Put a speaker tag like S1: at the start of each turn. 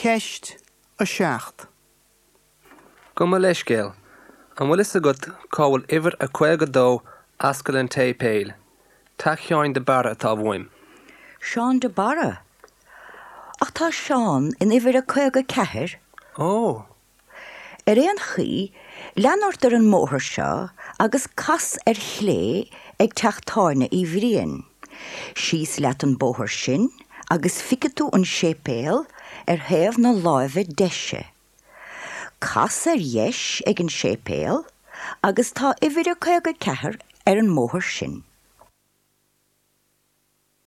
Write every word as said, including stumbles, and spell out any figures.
S1: Ceist a seacht.
S2: Gabh mo leithscéal, an bhfuil fhios agat cá bhfuil uimhir a caoga dó Ascaill an tSéipéil, Teach Sheáin de Barra atá uaim.
S3: Seán de Barra. Ach tá Seán in uimhir a caoga ceathair.
S2: Ó!
S3: Ar aon chaoi, lean ort ar an mbóthar seo agus cas ar chlé ag teach tábhairne Uí Bhriain. Síos leat an bóthar sin agus feicfidh tú an séipéal ar thaobh na láimhe deise. Cas ar dheis ag an séipéal agus tá uimhir a caoga ceathair ar an mbóthar sin.